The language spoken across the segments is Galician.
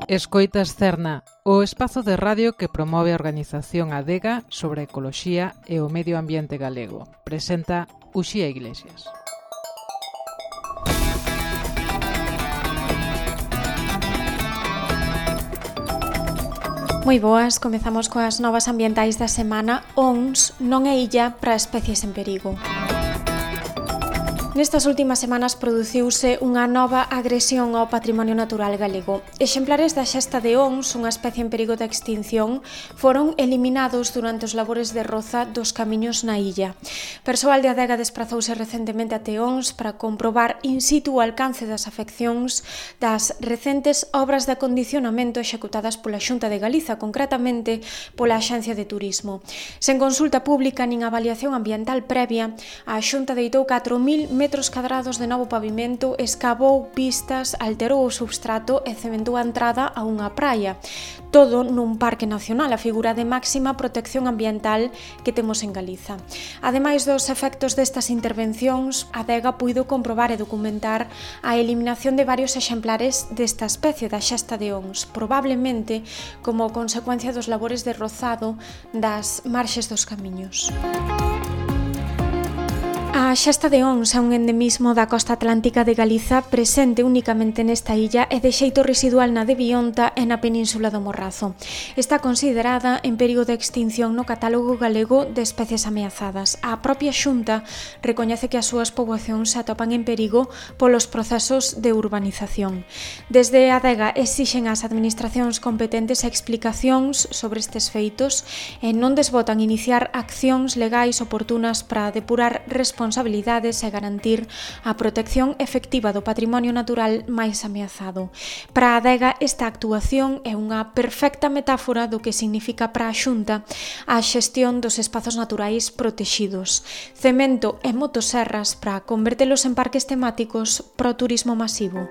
Escoitas Cerna, o espazo de radio que promove a organización Adega sobre a ecoloxía e o medio ambiente galego. Presenta Uxía Iglesias. Moi boas, comezamos coas novas ambientais da semana. ONS non é illa para especies en perigo. Nestas últimas semanas produciuse unha nova agresión ao patrimonio natural galego. Exemplares da xesta de ONS, unha especie en perigo de extinción, foron eliminados durante os labores de roza dos camiños na illa. Persoal de Adega desprazouse recentemente até ONS para comprobar in situ o alcance das afeccións das recentes obras de acondicionamento executadas pola Xunta de Galiza, concretamente pola Axencia de Turismo. Sen consulta pública nin avaliación ambiental previa, a Xunta deitou 4.000 metros cadrados de novo pavimento, escavou pistas, alterou o substrato e cementou a entrada a unha praia. Todo nun parque nacional, a figura de máxima protección ambiental que temos en Galiza. Ademais dos efectos destas intervencións, a Adega puido comprobar e documentar a eliminación de varios exemplares desta especie da xesta de ONS, probablemente como consecuencia dos labores de rozado das marxes dos camiños. A xesta de ONS é un endemismo da costa atlántica de Galiza presente únicamente nesta illa e de xeito residual na de Bionta e na península do Morrazo. Está considerada en perigo de extinción no catálogo galego de especies ameazadas. A propia Xunta recoñece que as súas poboacións se atopan en perigo polos procesos de urbanización. Desde a Adega exixen ás administracións competentes explicacións sobre estes feitos e non desbotan iniciar accións legais oportunas para depurar responsabilidades e garantir a protección efectiva do patrimonio natural máis ameazado. Para a Adega, esta actuación é unha perfecta metáfora do que significa para a Xunta a xestión dos espazos naturais protexidos. Cemento e motoserras para convertelos en parques temáticos pro turismo masivo.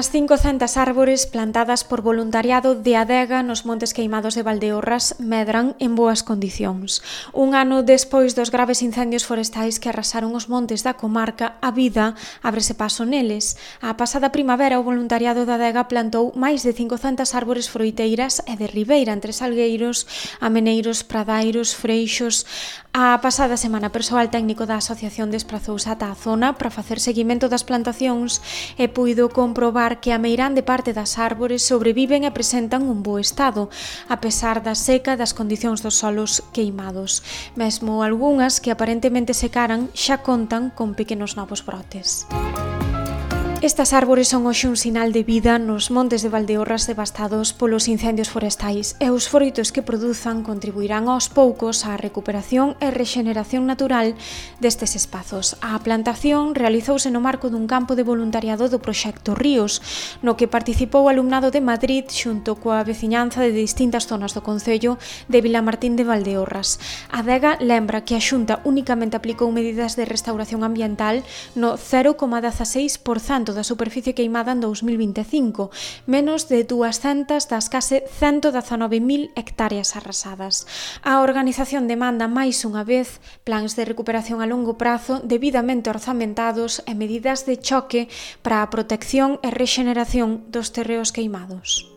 As 500 árbores plantadas por voluntariado de Adega nos Montes Queimados de Valdeorras medran en boas condicións. Un ano despois dos graves incendios forestais que arrasaron os montes da comarca, a vida ábrese paso neles. A pasada primavera, o voluntariado da Adega plantou máis de 500 árbores froiteiras e de ribeira entre salgueiros, ameneiros, pradairos, freixos. A pasada semana, persoal técnico da asociación desprazouse ata a zona para facer seguimento das plantacións e puido comprobar que a meirande parte das árbores sobreviven e presentan un bo estado, a pesar da seca e das condicións dos solos queimados. Mesmo algunhas que aparentemente secaran xa contan con pequenos novos brotes. Estas árbores son hoxe un sinal de vida nos montes de Valdeorras devastados polos incendios forestais e os froitos que produzan contribuirán aos poucos á recuperación e rexeneración natural destes espazos. A plantación realizouse no marco dun campo de voluntariado do proxecto Ríos, no que participou o alumnado de Madrid xunto coa veciñanza de distintas zonas do concello de Vilamartín de Valdeorras. A Adega lembra que a Xunta únicamente aplicou medidas de restauración ambiental no 0,16% da superficie queimada en 2025, menos de 200 das case 119.000 hectáreas arrasadas. A organización demanda máis unha vez plans de recuperación a longo prazo debidamente orzamentados e medidas de choque para a protección e rexeneración dos terreos queimados.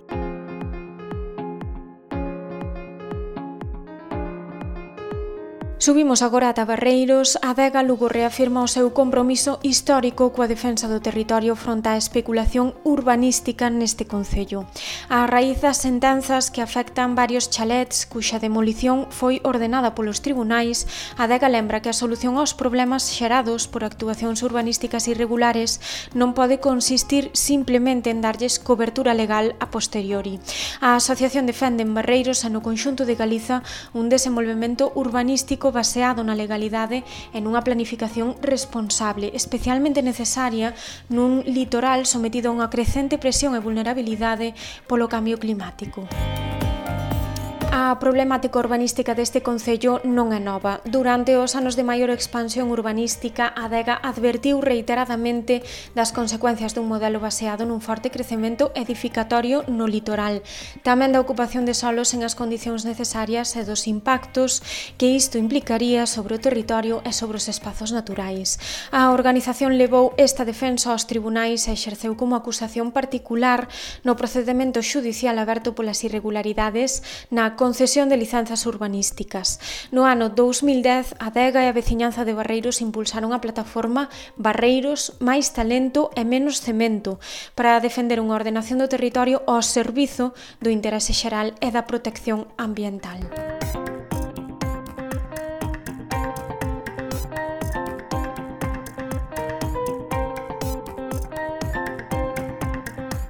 Subimos agora ata Barreiros. A Adega Lugo reafirma o seu compromiso histórico coa defensa do territorio fronte á especulación urbanística neste concello. A raíz das sentenzas que afectan varios chalets cuxa demolición foi ordenada polos tribunais, a Adega lembra que a solución aos problemas xerados por actuacións urbanísticas irregulares non pode consistir simplemente en darlles cobertura legal a posteriori. A asociación defende en Barreiros e no conxunto de Galiza un desenvolvemento urbanístico baseado na legalidade e nunha planificación responsable, especialmente necesaria nun litoral sometido a unha crecente presión e vulnerabilidade polo cambio climático. A problemática urbanística deste concello non é nova. Durante os anos de maior expansión urbanística, a Adega advertiu reiteradamente das consecuencias dun modelo baseado nun forte crecemento edificatorio no litoral, tamén da ocupación de solos en as condicións necesarias e dos impactos que isto implicaría sobre o territorio e sobre os espazos naturais. A organización levou esta defensa aos tribunais e exerceu como acusación particular no procedemento xudicial aberto polas irregularidades na concesión de licenzas urbanísticas. No ano 2010, a Adega e a veciñanza de Barreiros impulsaron a plataforma Barreiros, máis talento e menos cemento para defender unha ordenación do territorio ao servizo do interese xeral e da protección ambiental.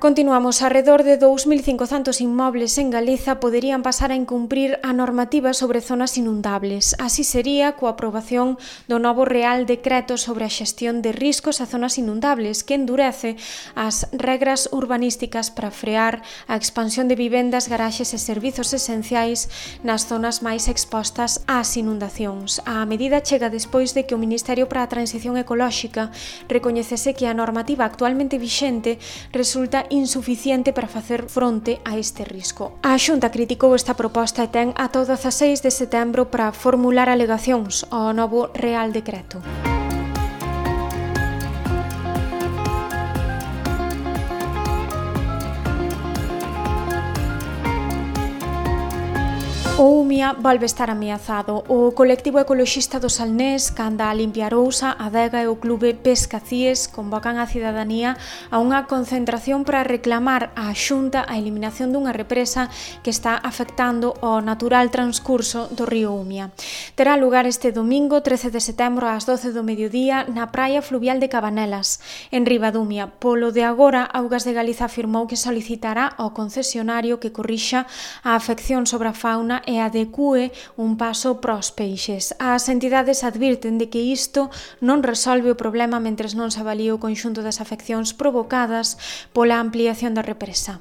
Continuamos. Arredor de 2.500 inmobles en Galiza poderían pasar a incumprir a normativa sobre zonas inundables. Así sería coa aprobación do novo Real Decreto sobre a xestión de riscos a zonas inundables, que endurece as regras urbanísticas para frear a expansión de vivendas, garaxes e servizos esenciais nas zonas máis expostas ás inundacións. A medida chega despois de que o Ministerio para a Transición Ecolóxica recoñecese que a normativa actualmente vixente resulta insuficiente para facer fronte a este risco. A Xunta criticou esta proposta e ten ata o 16 de setembro para formular alegacións ao novo Real Decreto. O Umia volve estar ameazado. O colectivo ecoloxista do Salnés, Canda a Limpiar Ousa, a Adega e o clube Pescacíes convocan a cidadanía a unha concentración para reclamar á Xunta a eliminación dunha represa que está afectando o natural transcurso do río Umia. Terá lugar este domingo, 13 de setembro, ás 12 do mediodía, na praia fluvial de Cabanelas, en Ribadumia. Polo de agora, Augas de Galiza afirmou que solicitará ao concesionario que corrixa a afección sobre a fauna e adecue un paso pros peixes. As entidades advirten de que isto non resolve o problema mentres non se avalíe o conxunto das afeccións provocadas pola ampliación da represa.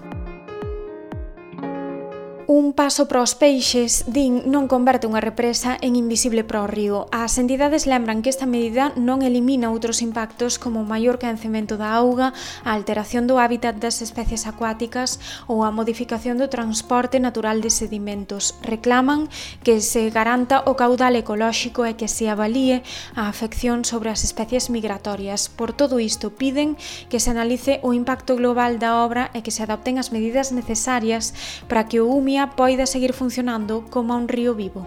Un paso para os peixes, din, non converte unha represa en invisible para o río. As entidades lembran que esta medida non elimina outros impactos como o maior caencemento da auga, a alteración do hábitat das especies acuáticas ou a modificación do transporte natural de sedimentos. Reclaman que se garanta o caudal ecolóxico e que se avalíe a afección sobre as especies migratorias. Por todo isto, piden que se analice o impacto global da obra e que se adopten as medidas necesarias para que o Umia poida seguir funcionando como un río vivo.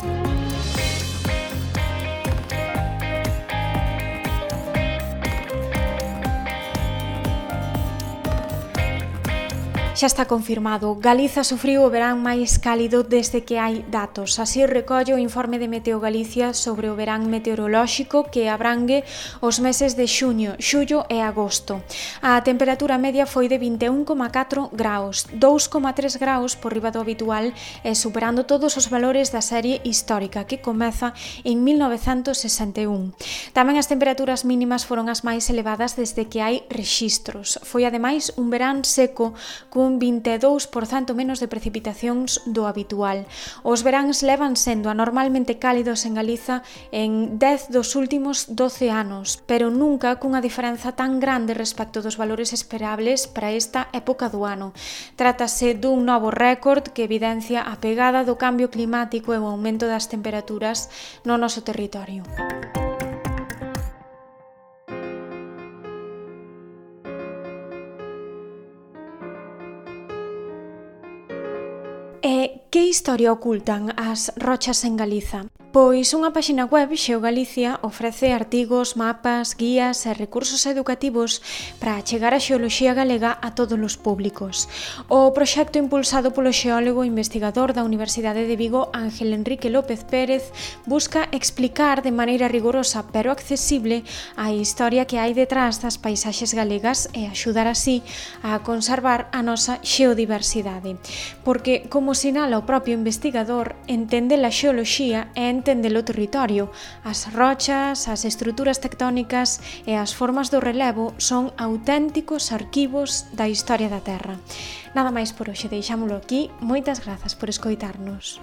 Xa está confirmado, Galiza sufriu o verán máis cálido desde que hai datos. Así recolle o informe de Meteo Galicia sobre o verán meteorolóxico que abrangue os meses de xuño, xullo e agosto. A temperatura media foi de 21,4 graus, 2,3 graus por riba do habitual e superando todos os valores da serie histórica que comeza en 1961. Tamén as temperaturas mínimas foron as máis elevadas desde que hai rexistros. Foi ademais un verán seco cun 22% menos de precipitacións do habitual. Os veráns levan sendo anormalmente cálidos en Galiza en 10 dos últimos 12 anos, pero nunca cunha diferenza tan grande respecto dos valores esperables para esta época do ano. Trátase dun novo récord que evidencia a pegada do cambio climático e o aumento das temperaturas no noso territorio. E que historia ocultan as rochas en Galiza? Pois unha páxina web, Xeogalicia, ofrece artigos, mapas, guías e recursos educativos para achegar a xeoloxía galega a todos os públicos. O proxecto impulsado polo xeólogo e investigador da Universidade de Vigo, Ángel Enrique López Pérez, busca explicar de maneira rigorosa pero accesible a historia que hai detrás das paisaxes galegas e axudar así a conservar a nosa xeodiversidade. Porque, como sinala o propio investigador, entender a xeoloxía é entender o territorio. As rochas, as estruturas tectónicas e as formas do relevo son auténticos arquivos da historia da Terra. Nada máis por hoxe, deixámolo aquí. Moitas grazas por escoitarnos.